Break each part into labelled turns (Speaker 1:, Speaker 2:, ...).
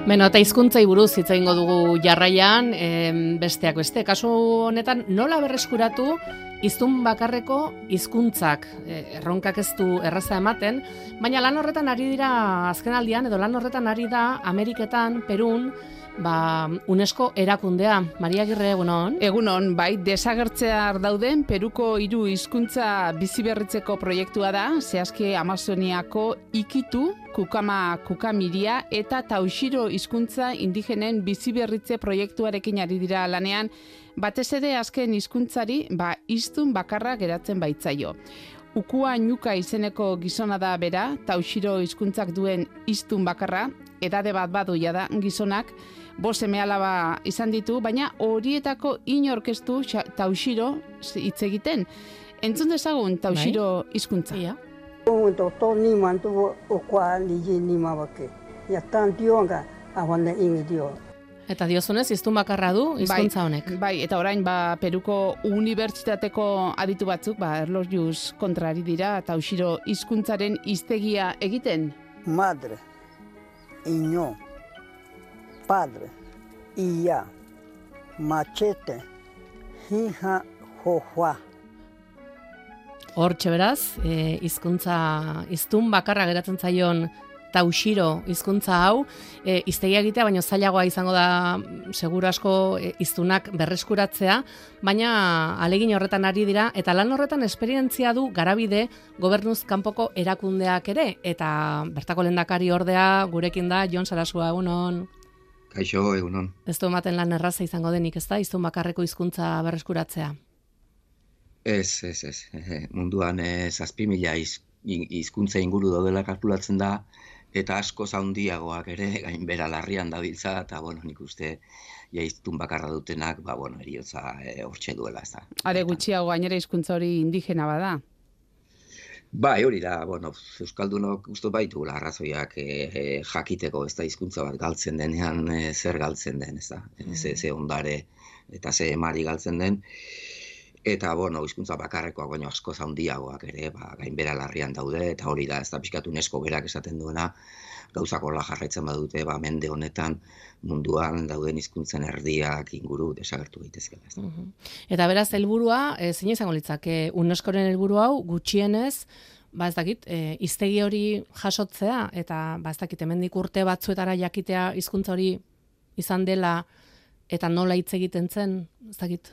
Speaker 1: Beno, eta hizkuntzai buruz hitz egingo dugu jarraian, besteak beste. Kasu honetan, nola berreskuratu hiztun bakarreko hizkuntzak, erronkak ez du erraza ematen, baina lan horretan ari dira azkenaldian, edo lan horretan ari da Ameriketan, Perun, UNESCO erakundea. Maria Agirre, egunon?
Speaker 2: Egunon, bai, desagertzear dauden Peruko 3 hizkuntza biziberritzeko proiektua da, zehazki Amazoniako Ikitu, Kukama Kukamiria eta Tauxiro hizkuntza indigenen biziberritze proiektuarekin ari dira lanean, batez ere azken hizkuntzari hiztun bakarra geratzen baitzaio. Ukua Ñuka izeneko gizona da bera, Tauxiro hizkuntzak duen hiztun bakarra, edade bat badu da gizonak, 5 seme-alaba izan ditu, baina horietako inorkestu Tauxiro hitz egiten. Entzun dezagun Tauxiro hizkuntza.
Speaker 1: Ia. Eta diozunez, hiztun bakarra du hizkuntza honek.
Speaker 2: Bai, eta orain Peruko unibertsitateko aditu batzuk, erlojuez kontrari dira, Tauxiro hizkuntzaren hiztegia egiten.
Speaker 3: Madre, iño, padre, ia, machete, hija, jojua.
Speaker 1: Hortxe beraz, hiztun bakarra geratzen zaion Tauxiro hizkuntza hau, hiztegia egitea, baina zailagoa izango da seguru asko hiztunak berreskuratzea, baina ahalegin horretan ari dira, eta lan horretan esperientzia du Garabide gobernuz kanpoko erakundeak ere, eta bertako lehendakari ordea gurekin da Jon Sarasua, egunon.
Speaker 4: Kaixo, egunon.
Speaker 1: Ez du ematen lan erraza izango denik, ez da, hiztun bakarreko hizkuntza berreskuratzea?
Speaker 4: Ez. Munduan 7.000 hizkuntza inguru daudela kalkulatzen da, eta asko handiagoak ere gainbera larrian dabiltza, eta nik uste hiztun bakarra dutenak, eriotza hortxe duela, ez da.
Speaker 2: Are gutxiago gainera hizkuntza hori indigena bada?
Speaker 4: Bai, hori da, euskaldunok uste baitugula arrazoiak jakiteko, ez da, hizkuntza bat galtzen denean zer galtzen den, ez da, ze ondare eta ze emari galtzen den. Eta, hizkuntza bakarrekoak baino asko handiagoak ere, gainbera larrian daude, eta hori da, ez da, pixkat UNESCO berak esaten duena, gauzak horrela jarraitzen badute, mende honetan munduan dauden hizkuntzen erdiak inguru desagertu daitezkeela.
Speaker 1: Eta beraz, helburua, zein izango litzake, UNESCOren helburu hau gutxienez, ez dakit, hiztegi hori jasotzea, eta ez dakit, hemendik urte batzuetara jakitea hizkuntza hori izan dela, eta nola hitz egiten zen, ez dakit,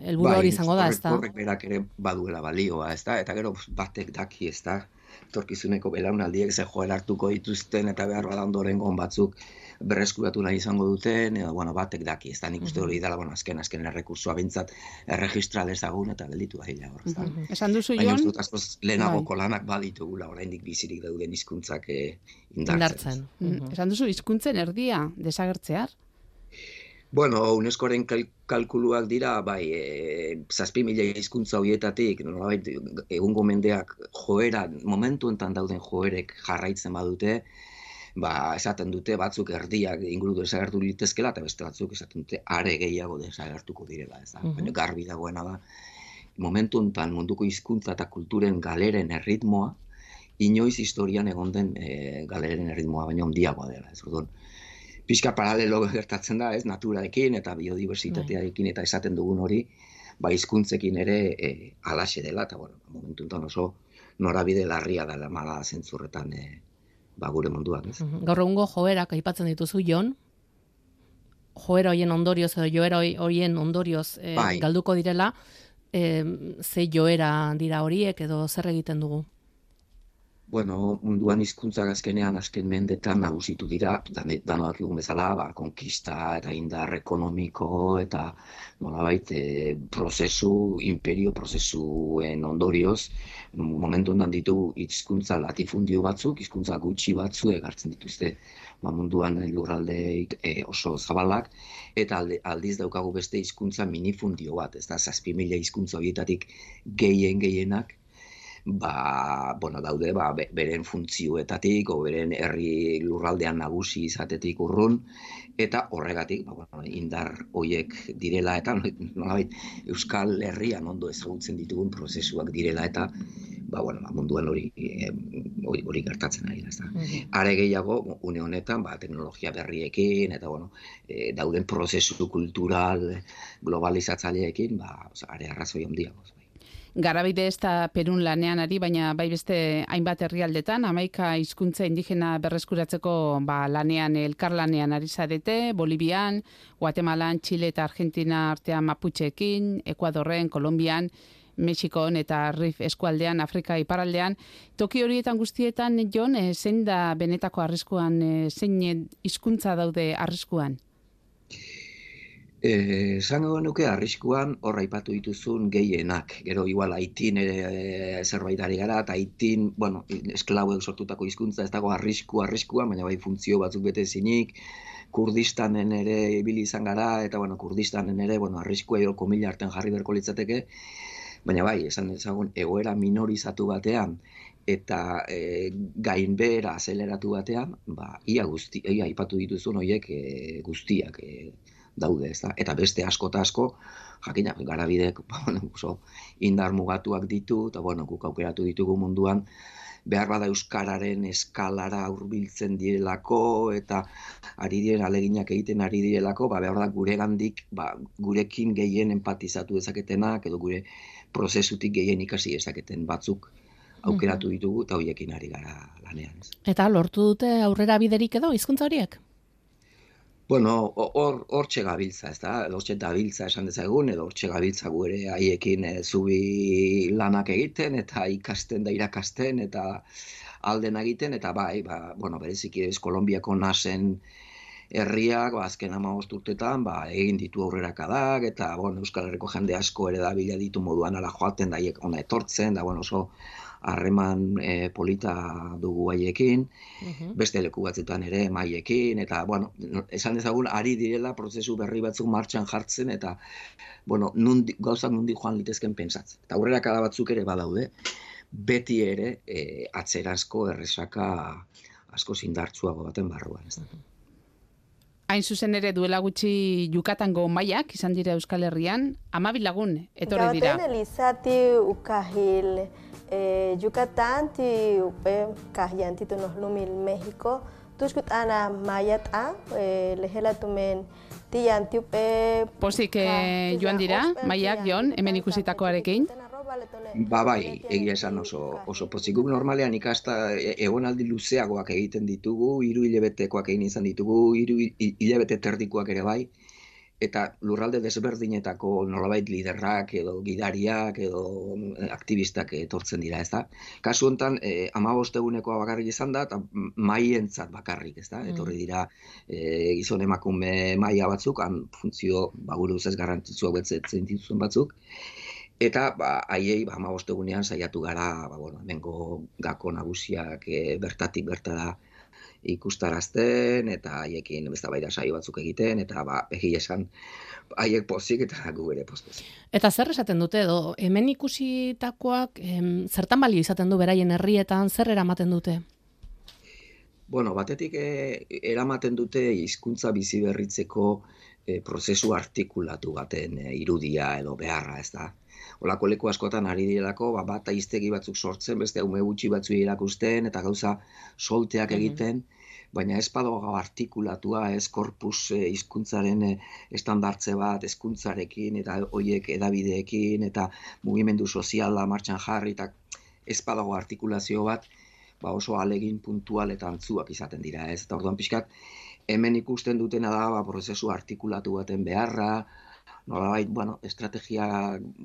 Speaker 1: helburu hori izango da, ez da?
Speaker 4: Horrek berak ere baduela balioa, ez da? Eta gero batek daki, ez da? Torkizuneko belaunaldiek ze joera hartuko dituzten, eta behar bada ondorengon batzuk berreskuratu nahi izango duten, edo, batek daki, ez da? Nik uste hori dela, azken errekursua bintzat erregistra dezagun, eta gelditu da hila hor, ez da?
Speaker 2: Esan duzu, Jon?
Speaker 4: Baina uste dut askoz lehenagoko lanak baditugula, oraindik bizirik dauden hizkuntzak indartzen.
Speaker 2: Esan duzu, hizkuntzen erdia desagertzear?
Speaker 4: UNESCOren kalkuluak dira, 7.000 hizkuntza horietatik, egungo mendeak joera, momentu enten dauden joerek jarraitzen badute, esaten dute batzuk erdiak inguru desagertu litezkela, eta beste batzuk esaten dute are gehiago desagertuko direla, ez da. Baina garbi dagoena da, momentu enten munduko hizkuntza eta kulturen galeren erritmoa, inoiz historian egon den galeren erritmoa, baina handiagoa dela, ez orduan. Pixka paralelo gertatzen da, ez, naturarekin eta biodiversitatearekin eta esaten dugun hori, hizkuntzekin ere halaxe dela, eta momentu enten oso norabide larria dela mala zentzurretan gure munduak, ez.
Speaker 1: Gaur egungo joerak aipatzen dituzu, Jon, joera horien ondorioz edo joera horien ondorioz galduko direla, ze joera dira horiek edo zer egiten dugu?
Speaker 4: Munduan hizkuntzak azken mendetan nagusitu dira, danoak egun bezala, konkista eta indar ekonomiko eta nolabait imperio prozesuen ondorioz, momentu ondan ditu hizkuntza latifundio batzuk, hizkuntza gutxi batzu egartzen dituzte munduan lurraldeik oso zabalak, eta aldiz daukagu beste hizkuntza minifundio bat, ez da, 7.000 hizkuntza horietatik gehienak, daude beren funtzioetatik o beren herri lurraldean nagusi izatetik urrun, eta horregatik indar hoiek direla eta nolabait Euskal Herrian ondo ezagutzen ditugun prozesuak direla eta munduan hori gertatzen ari da, ezta. Are gehiago, une honetan, teknologia berriekin, eta, dauden prozesu kultural globalizatzaileekin, are arrazoi handiago.
Speaker 2: Garabide ez da Perun lanean ari, baina bai beste hainbat herrialdetan, 11 hizkuntza indigena berreskuratzeko lanean, elkarlanean ari zarete, Bolivian, Guatemalan, Chile eta Argentina artean Maputxeekin, Ekuadorren, Kolombian, Mexikon eta Rif eskualdean, Afrika iparraldean. Toki horietan guztietan, Jon, zein da benetako arriskuan, zein hizkuntza daude arriskuan?
Speaker 4: Zango nuke arriskuan hor aipatu dituzun gehienak. Gero igual Haitin zerbait ari gara, eta Haitin, esklauek sortutako hizkuntza ez dago arriskuan, baina bai funtzio batzuk bete zinik. Kurdistanen ere ibili izan gara, eta Kurdistanen ere arriskua edo komila artean jarri berko litzateke, baina bai, esan ezagun egoera minorizatu batean, eta gainbehera azeleratu batean, ia aipatu dituzun horiek guztiak daude, ezta? Eta beste asko eta asko, jakina, Garabidek oso indar mugatuak ditu, eta guk aukeratu ditugu munduan, behar bada euskararen eskalara hurbiltzen direlako, eta ari diren aleginak egiten ari direlako, behar da guregandik, gurekin gehien empatizatu dezaketenak, edo gure prozesutik gehien ikasi dezaketen batzuk aukeratu ditugu, eta horiekin ari gara lanean.
Speaker 1: Eta lortu dute aurrera biderik edo hizkuntza horiek?
Speaker 4: Hortxe gabiltza, ez da, hortxe dabiltza esan dezagun, edo hortxe gabiltza gure haiekin zubi lanak egiten, eta ikasten da irakasten, eta alden egiten, eta bereziki Kolonbiako nasen herriak, azken 15 urtetan, egin ditu aurrerakadak, eta, Euskal Herriko jende asko ere da bila ditu moduan ala joaten, da haiek ona etortzen, da, oso harreman polita dugu haiekin, beste leku batzutan ere maiekin, eta, esan dezagun, ari direla prozesu berri batzuk martxan jartzen, eta, gauzak nundi joan litezken pentsatzen. Eta aurrerakada batzuk ere badaude, beti ere atzerazko erresaka asko zindartzuago baten barruan.
Speaker 2: Hain zuzen ere duela gutxi Yucatango maiak izan dira Euskal Herrian, 12 lagun etorri dira.
Speaker 5: Gauten elizati ukahil Yucatán ti upe kahyanti tu nohlumil México tuskut ana mayata lehela tumen tianti upe
Speaker 2: Pozik joan dira maiak Jon hemen ikusitakoarekin.
Speaker 4: Bai, egia esan oso pozik. Guk normalean ikasta egonaldi luzeagoak egiten ditugu, 3 hilabetekoak egin izan ditugu, 3 hilabete terdikoak ere bai, eta lurralde desberdinetako nolabait liderrak edo gidariak edo aktivistak etortzen dira, ezta? Kasu honetan 15 egunekoa bakarrik izan da, eta maientzat bakarrik, ezta? Etorri dira gizon emakume maila batzuk, han funtzio gure ustez garrantzitsuak betetzen dituzuen batzuk. Eta haiei 15 egunean saiatu gara, hemengo gako nagusiak bertatik bertara ikustarazten, eta haiekin eztabaida saio batzuk egiten, eta egia esan haiek pozik eta gu ere pozik.
Speaker 1: Eta zer esaten dute edo, hemen ikusitakoak zertan balio izaten du beraien herrietan, zer eramaten dute?
Speaker 4: Batetik eramaten dute hizkuntza bizi berritzeko prozesu artikulatu baten irudia edo beharra, ez da. Olako leku askotan ari direlako, bat hiztegi batzuk sortzen, beste ume gutxi batzuei erakusten, eta gauza solteak egiten, baina ez badago artikulatua, ez korpus hizkuntzaren estandartze bat, hezkuntzarekin, eta horiek edabideekin, eta mugimendu soziala martxan jarri, eta ez badago artikulazio bat, oso alegin puntual eta antzuak izaten dira, ez? Eta orduan pixkat, hemen ikusten dutena da, prozesu artikulatu baten beharra, nolabait, estrategia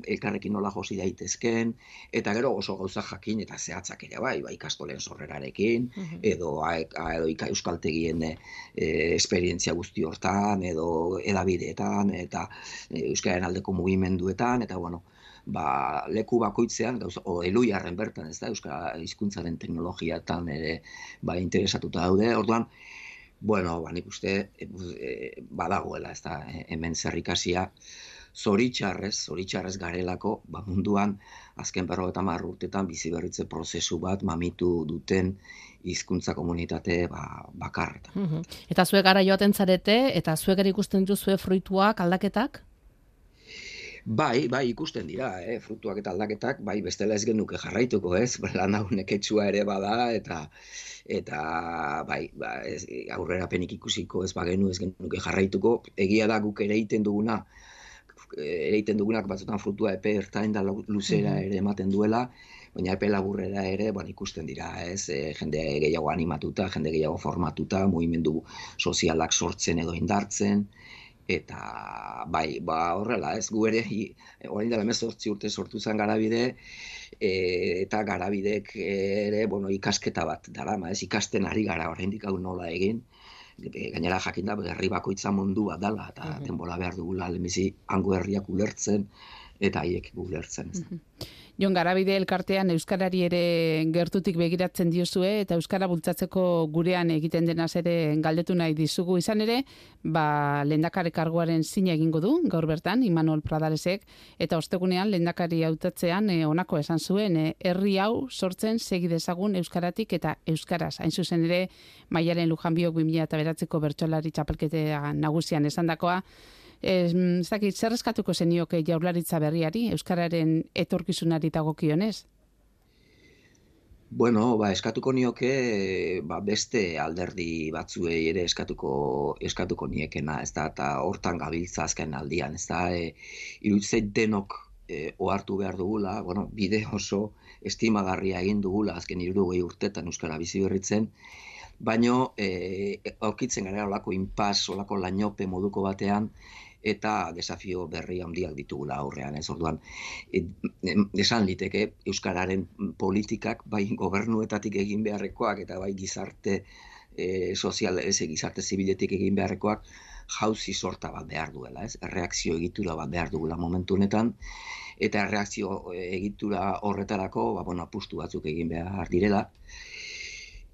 Speaker 4: elkarrekin nola josi daitezken, eta gero oso gauza jakin eta zehatzak ere bai ikastolen sorrerarekin, edo euskaltegien esperientzia guzti hortan, edo edabideetan, eta euskararen aldeko mugimenduetan, eta leku bakoitzean, eluiarren bertan, ez da, euskara hizkuntzaren teknologiatan ere interesatuta daude, orduan, nik uste badagoela, ez da, hemen zerrikasia, zoritxarrez garelako, munduan, azken 50 urtetan bizi berritze prozesu bat mamitu duten hizkuntza komunitate bakarretan.
Speaker 1: Eta zuek gara joaten zarete, eta zuek ere ikusten dituzue fruituak, aldaketak?
Speaker 4: Bai, ikusten dira, frutuak eta aldaketak, bai, bestela ez genuke jarraituko, ez? Lan hau neketsua ere bada, eta bai, aurrerapenik ikusiko ez bagenu ez genuke jarraituko. Egia da guk ere egiten dugunak batzutan frutua epe ertain da luzera ere ematen duela, baina epe laburrera ere ikusten dira, ez? Jende gehiago animatuta, jende gehiago formatuta, mugimendu sozialak sortzen edo indartzen, eta bai, horrela, ez gu ere, orain dela 18 urte sortu zen Garabide, eta Garabidek ere, ikasketa bat darama, ez ikasten ari gara oraindik hau nola egin, gainera jakinda herri bakoitza mundu bat dela, eta denbora behar dugula lehenbizi hango herriak ulertzen, eta haiek ulertzen.
Speaker 2: Jon, Garabide elkartean euskarari ere gertutik begiratzen diozue eta euskara bultzatzeko gurean egiten denaz ere galdetu nahi dizugu. Izan ere, lehendakari karguaren zina egingo du gaur bertan Imanol Pradaresek, eta ostegunean lehendakari hautatzean honako esan zuen, herri hau sortzen segi dezagun euskaratik eta euskaraz. Hain zuzen ere, Maialen Lujanbiok 2009ko bertsolari txapelketa nagusian esandakoa. Ez dakit, zer eskatuko zenioke Jaurlaritza berriari, euskararen etorkizunari dagokionez?
Speaker 4: Eskatuko nioke beste alderdi batzuei ere eskatuko niekena, ez da, eta hortan gabiltza azken aldian, ez da, iruditzen denok ohartu behar dugula, bide oso estimagarria egin dugula azken 60 urtetan euskara bizi berritzen, baino aurkitzen gara olako inpas, olako lainope moduko batean, eta desafio berri handiak ditugula aurrean, ez orduan. Esan liteke euskararen politikak bai gobernuetatik egin beharrekoak eta bai gizarte sozial, gizarte zibiletik egin beharrekoak jauzi sorta bat behar duela, ez? Erreakzio egitura bat behar dugula momentu honetan, eta erreakzio egitura horretarako, apustu batzuk egin behar direla.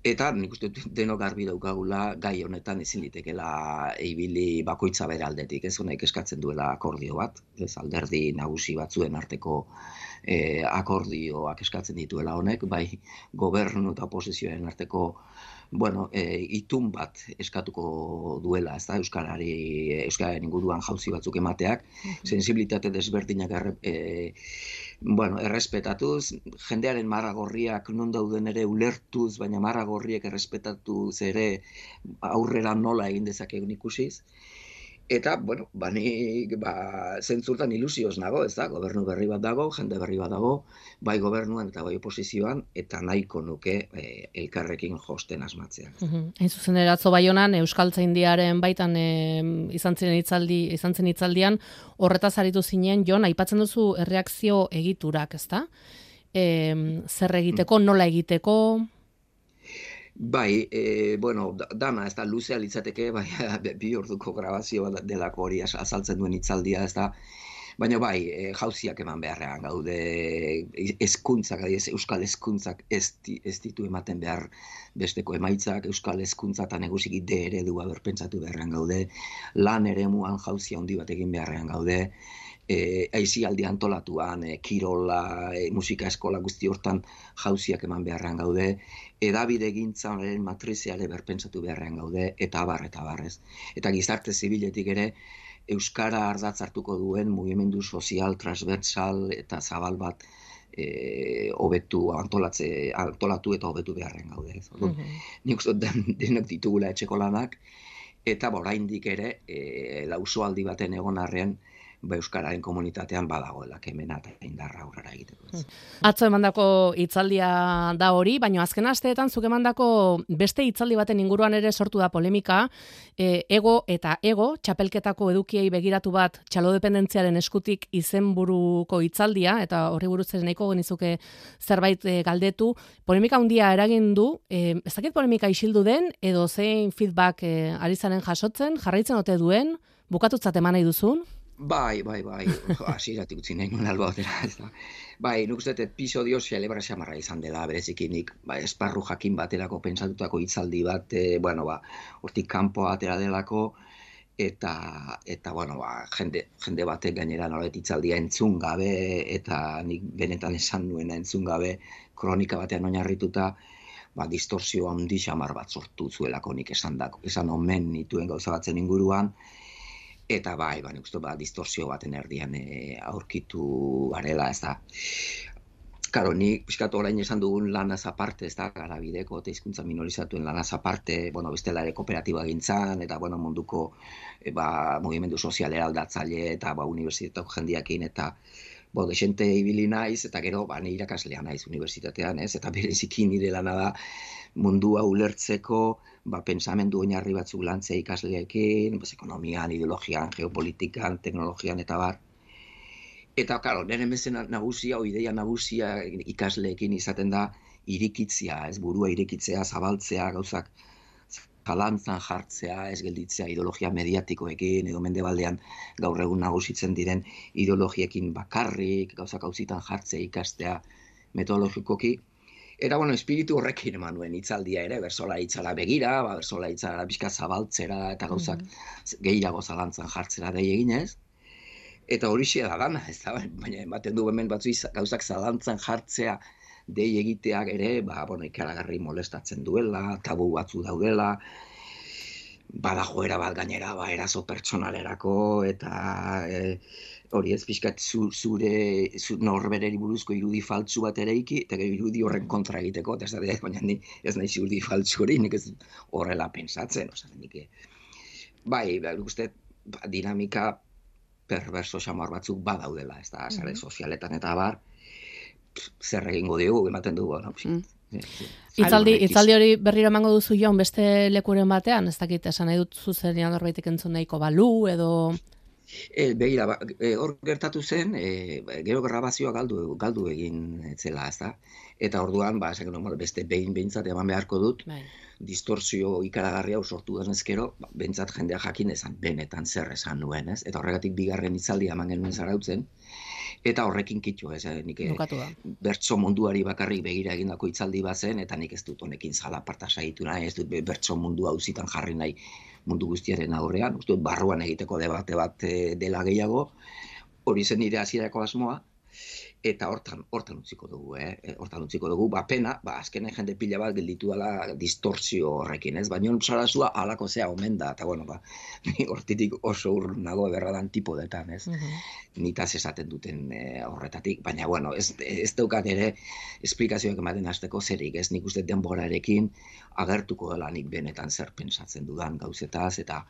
Speaker 4: Eta nik uste denok garbi daukagula gai honetan ezin litekela ibili bakoitza bere aldetik, ez honek eskatzen duela akordio bat, ez alderdi nagusi batzuen arteko akordioak eskatzen dituela honek, bai gobernu eta oposizioen arteko itun bat eskatuko duela, ez da, euskararen inguruan jauzi batzuk emateak, sensibilitate desberdinak errespetatuz, jendearen marra gorriak non dauden ere ulertuz, baina marra gorriek errespetatuz ere aurrera nola egin dezakegun ikusiz. Eta, nik zentzurtan ilusioz nago, ez da, gobernu berri bat dago, jende berri bat dago, bai gobernuan eta bai oposizioan, eta nahiko nuke elkarrekin josten asmatzea.
Speaker 1: Hain zuzen eratzo Baionan, Euskaltzaindiaren baitan izan zen hitzaldian, horretaz aritu zinen, Jon, aipatzen duzu erreakzio egiturak, ez da? Zer egiteko, nola egiteko?
Speaker 4: Bai, dana, ez da, luzea litzateke, bai, 2 orduko grabazio delako hori azaltzen duen hitzaldia, ez da, baina bai, jauziak eman beharrean gaude, hezkuntzak, euskal hezkuntzak ez ditu ematen behar besteko emaitzak, euskal hezkuntza eta negusiki eredua berpentsatu beharrean gaude, lan eremuan jauzia handi bat egin beharrean gaude, aisialdi antolatuan, kirola, musika eskola guzti hortan jauziak eman beharrean gaude, edabide gintzaren matriziare berpentsatu beharrean gaude, eta abar, ez. Eta gizarte zibiletik ere, euskara ardatz hartuko duen mugimendu sozial, transversal eta zabal bat antolatu eta hobetu beharrean gaude. Nik uste denok ditugula etxeko lanak, eta oraindik ere, lausoaldi baten egon arrean, euskararen komunitatean badagoela kemena eta indarra aurrera egiteko.
Speaker 1: Atzo emandako hitzaldia da hori, baina azken asteetan zuk emandako beste hitzaldi baten inguruan ere sortu da polemika, ego eta ego, txapelketako edukiei begiratu bat txalodependentziaren eskutik izenburuko hitzaldia, eta horri buruz ere nahiko genizuke zerbait galdetu, polemika handia eragin du, ez dakit polemika isildu den, edo zein feedback ari zaren jasotzen, jarraitzen ote duen, bukatutzat eman nahi duzun?
Speaker 4: Bai, hasieratik utzi nahi nuen alba batera, ez da. Bai, nik uste episodio celebra xamarra izan dela, berezik nik esparru jakin baterako pentsatutako hitzaldi bat, hortik kanpo atera delako, eta jende batek gainera nolabait hitzaldia entzun gabe, eta nik benetan esan nuena entzun gabe, kronika batean oinarrituta, distorsio handi xamar bat sortu zuelako nik esan omen nituen gauza batzen inguruan, Eta nik uste distorsio baten erdian aurkitu garela, ez da. Karo, ni pixkatu orain esan dugun lanaz aparte, ez da, Garabideko eta hizkuntza minorizatuen lanaz aparte, bestela ere kooperatiba gintzan, eta munduko mugimendu sozial eraldatzaile eta unibertsitateko jendiakin, eta desente ibili naiz, eta gero ni irakaslea naiz unibertsitatean, ez? Eta bereziki nire lana da mundua ulertzeko, pentsamendu oinarri batzuk lantzea ikasleekin, ekonomian, ideologian, geopolitikan, teknologian eta bar. Eta, karo, nire mezen nagusia, ideia nagusia ikasleekin izaten da irikitzea, ez burua irikitzea, zabaltzea, gauzak zalantzan jartzea, ez gelditzea ideologia mediatikoekin, edo mendebaldean gaur egun nagusitzen diren ideologiekin bakarrik, gauzak auzitan jartzea ikastea metodologikoki. Eta, espiritu horrekin eman nuen hitzaldia ere, bersola hitzala begira, bersola hitzala pixka zabaltzera eta gauzak gehiago zalantzan jartzera dei eginez. Eta horixe da dana, ez da, baina ematen du hemen batzu gauzak zalantzan jartzea dei egiteak ere, ikaragarri molestatzen duela, tabu batzu daudela, bada joera bat gainera, eraso pertsonalerako, eta hori ez pixkat zure norbereri buruzko irudi faltsu bat eraiki, eta irudi horren kontra egiteko, eta baina ni ez naiz irudi faltsu hori, nik ez horrela pensatzen, uste dinamika perverso xamar batzuk badaudela, ez da, sare sozialetan eta bar, zer egingo dugu, ematen dugu,
Speaker 1: Itzaldi hori berriro emango duzu Jon beste lekuren batean, ez dakit esan nahi dut zuzenean norbaitek entzun nahiko balu, edo...
Speaker 4: Begira, hor gertatu zen, gero grabazioa galdu egin zela, ez da? Eta orduan, beste behintzat eman beharko dut, distorsio ikaragarria sortu denez gero, behintzat jendea jakin ezan, benetan zer esan nuen, ez? Eta horregatik bigarren hitzaldia eman genuen zarautzen, eta horrekin kitxo, ez, nik bertso munduari bakarrik begira egindako hitzaldi bazen, eta nik ez dut honekin zalaparta saiatu nahi, ez dut bertso mundua auzitan jarri nahi mundu guztiaren aurrean, uste dut barruan egiteko debate bat dela gehiago, hori zen nire hasierako asmoa, eta hortan utziko dugu, hortan utziko dugu, pena, azkenen jende pila bat gelditu dela distorsio horrekin, ez? Baina Sarasua halako zea omen da, eta ni hortitik oso urrun nago berradan tipodetan, ez? Nitaz esaten duten horretatik, baina, ez daukat ere esplikazioak ematen hasteko zerik, ez? Nik uste denborarekin agertuko dela nik benetan zer pentsatzen dudan gauzetaz, eta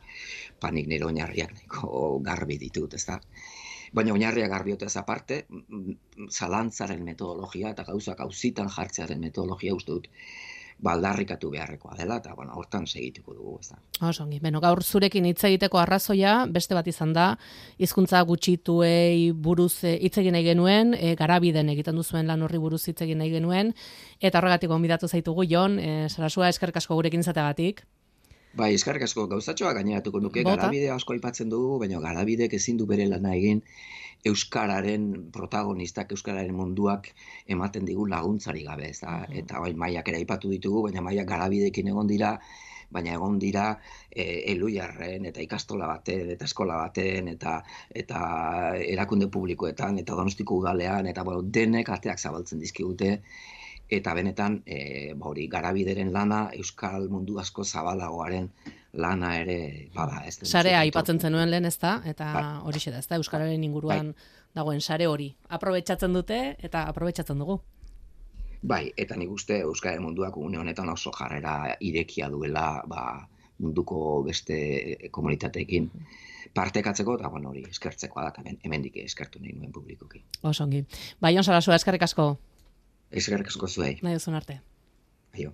Speaker 4: nik nire oinarriak nahiko garbi ditut, ez da? Baina oinarriak garbiotez aparte, zalantzaren metodologia eta gauzak auzitan jartzearen metodologia uste dut baldarrikatu beharrekoa dela, eta hortan segituko dugu, ez da.
Speaker 1: Osongi, gaur zurekin hitz egiteko arrazoia, beste bat izan da, hizkuntza gutxituei buruz hitz egin nahi genuen, Garabiden egiten duzuen lan horri buruz hitz egin nahi genuen, eta horregatik gonbidatu zaitugu, Jon, Sarasua, eskerrik asko gurekin izateagatik.
Speaker 4: Eskerrik asko gauzatxoa gaineratuko nuke, Garabide asko aipatzen dugu, baina Garabidek ezin du bere lana egin euskararen protagonistak, euskararen munduak ematen digu laguntzari gabe, ez da? Eta Maiak ere aipatu ditugu, baina Maiak Garabidekin egon dira, baina egon dira Eluiarren eta ikastola baten, eta eskola baten, eta erakunde publikoetan, eta Donostiko udalean, eta denek ateak zabaltzen dizkigute, eta benetan, Garabideren lana, euskal mundu asko zabalagoaren lana ere bada.
Speaker 1: Sarea aipatzen zenuen lehen, ez da? Eta horixe da, ez da? Euskararen inguruan dagoen sare hori. Aprobetxatzen dute, eta aprobetxatzen dugu.
Speaker 4: Eta nik uste euskararen munduak une honetan oso jarrera irekia duela munduko beste komunitateekin partekatzeko, eta hori eskertzekoa da, hemendik eskertu nahi nuen publikoki.
Speaker 1: Osongi. Jon Sarasua, eskerrik asko.
Speaker 4: Eskerrik asko zuei.
Speaker 1: Nahi duzun arte.
Speaker 4: Aio.